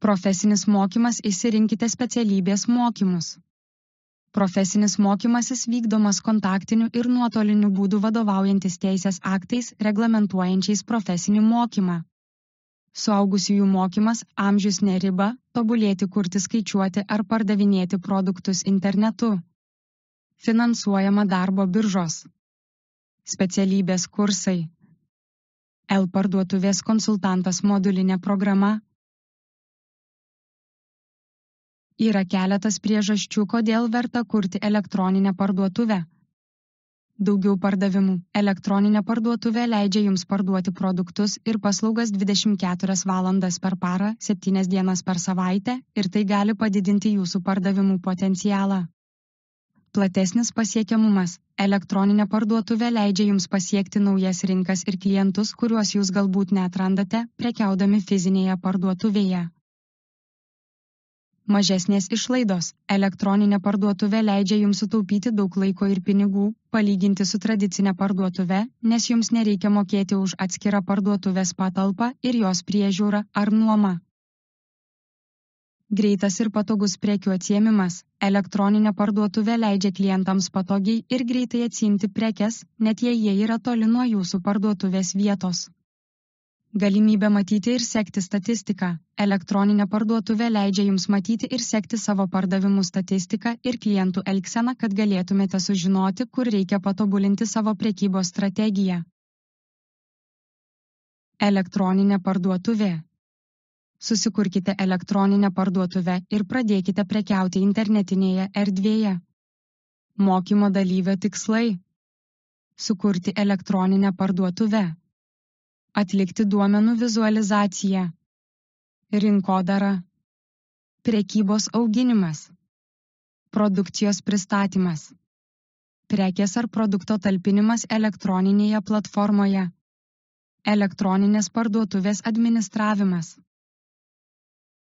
Profesinis mokymas – išsirinkite specialybės mokymus. Profesinis mokymasis vykdomas kontaktiniu ir nuotoliniu būdu vadovaujantis teisės aktais reglamentuojančiais profesinį mokymą. Suaugusiųjų mokymas – amžius ne riba, tobulėti, kurti, skaičiuoti ar pardavinėti produktus internetu. Finansuojama darbo biržos. Specialybės kursai. L-parduotuvės konsultantas modulinė programa. Yra keletas priežasčių, kodėl verta kurti elektroninę parduotuvę. Daugiau pardavimų. Elektroninė parduotuvė leidžia jums parduoti produktus ir paslaugas 24 valandas per parą, 7 dienas per savaitę ir tai gali padidinti jūsų pardavimų potencialą. Platesnis pasiekiamumas. Elektroninė parduotuvė leidžia jums pasiekti naujas rinkas ir klientus, kuriuos jūs galbūt neatrandate, prekiaudami fizinėje parduotuvėje. Mažesnės išlaidos. Elektroninė parduotuvė leidžia jums sutaupyti daug laiko ir pinigų, palyginti su tradicinė parduotuve, nes jums nereikia mokėti už atskirą parduotuvės patalpą ir jos priežiūrą ar nuomą. Greitas ir patogus prekių atsiėmimas. Elektroninė parduotuvė leidžia klientams patogiai ir greitai atsiimti prekes, net jei jie yra toli nuo jūsų parduotuvės vietos. Galimybė matyti ir sekti statistiką. Elektroninė parduotuvė leidžia jums matyti ir sekti savo pardavimų statistiką ir klientų elgseną, kad galėtumėte sužinoti, kur reikia patobulinti savo prekybos strategiją. Elektroninė parduotuvė. Susikurkite elektroninę parduotuvę ir pradėkite prekiauti internetinėje erdvėje. Mokymo dalyvio tikslai. Sukurti elektroninę parduotuvę. Atlikti duomenų vizualizaciją. Rinkodara. Prekybos auginimas. Produkcijos pristatymas. Prekės ar produkto talpinimas elektroninėje platformoje. Elektroninės parduotuvės administravimas.